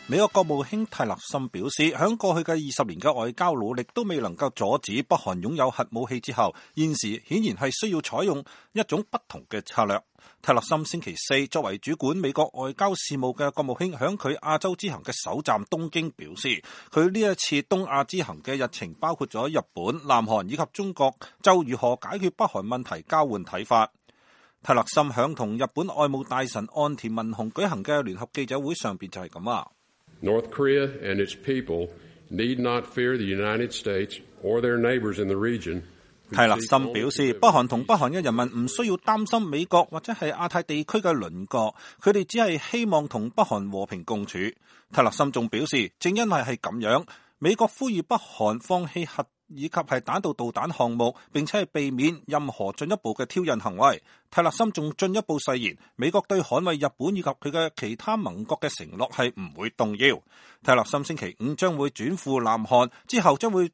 美國國務卿泰勒森表示，響過去嘅20年嘅外交努力都未能夠阻止北韓擁有核武器之後，現時顯然係需要採用一種不同嘅策略。泰勒森星期四作為主管美國外交事務嘅國務卿，響佢亞洲之行嘅首站東京表示，佢呢一次東亞之行嘅日程包括咗日本、南韓以及中國就如何解決北韓問題交換睇法。泰勒森響同日本外務大臣岸田文雄舉行嘅聯合記者會上邊就係咁啊。North Korea and its people need not fear the United States or their neighbors in the region. 泰勒森表示，北韓同北韓嘅人民唔需要擔心美國或者係亞太地區嘅鄰國，佢哋只係希望同北韓和平共處。泰勒森仲表示，正因為係咁樣，美國呼籲北韓放棄核以及係彈道導彈項目，並且係避免任何進一步嘅挑釁行為。泰勒森仲進一步誓言，美國對捍衛日本以及佢嘅其他盟國嘅承諾係唔會動搖。泰勒森星期五將會轉赴南韓，之後將會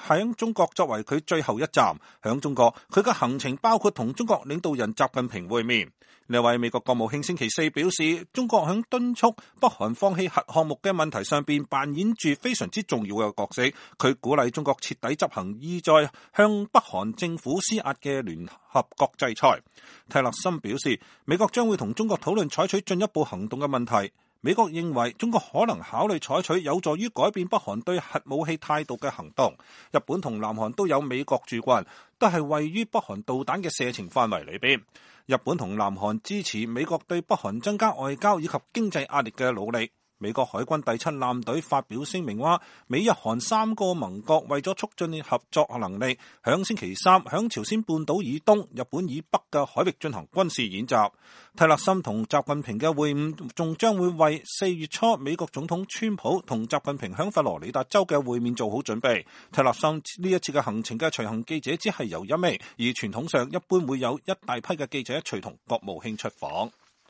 喺中國作為佢最後一站。響中國，佢嘅行程包括同中國領導人習近平會面。呢位美國國務卿星期四表示，中國響敦促北韓放棄核項目嘅問題上邊扮演住非常之重要嘅角色。佢鼓勵中國徹底執行意在向北韓政府施壓嘅聯合國制裁。泰勒森表示，美國將會同中國討論採取進一步行動嘅問題。美國認為中國可能考慮採取有助於改變北韓對核武器態度嘅行動。日本同南韓都有美國駐軍，都係位於北韓導彈嘅射程範圍裏邊。日本同南韓支持美國對北韓增加外交以及經濟壓力嘅努力。美國海軍第7艦隊發表聲明話，美日韓3個盟國為咗促進合作能力，響星期三響朝鮮半島以東、日本以北嘅海域進行軍事演習。泰勒森同習近平嘅會晤仲將會為4月初美國總統川普同習近平響佛羅里達州嘅會面做好準備。泰勒森呢一次嘅行程嘅隨行記者只係由1名，而傳統上一般會有一大批嘅記者隨同國務卿出訪。